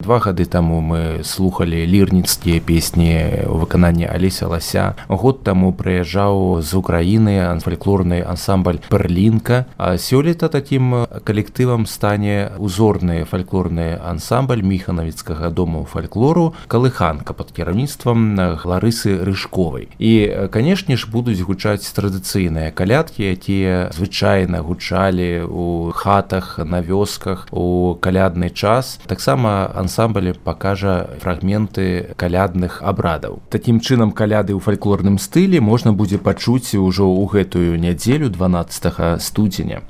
2 гады таму мы слухали лірніцкія песні ў выкананні Алеся Лася. Год таму прыязджаў з Украіны фальклорны ансамбль «Перлінка». А сёлета такім калектывам стане узорны фальклорны ансамбль Міханавіцкага дому фальклору «Калыханка» пад кіраўніцтвам Ларысы Рыжковай. І, канешне ж, будуць гучаць традыцыйныя калядкі, якія звычайна гучалі ў хатах, на вёсках у калядны час. Таксама ансамбль пакажа фрагменты калядных абрадаў. Такім чынам, каляды ў фальклорным стылі можна будзе пачуць ужо ў гэтую нядзелю 12 студзеня.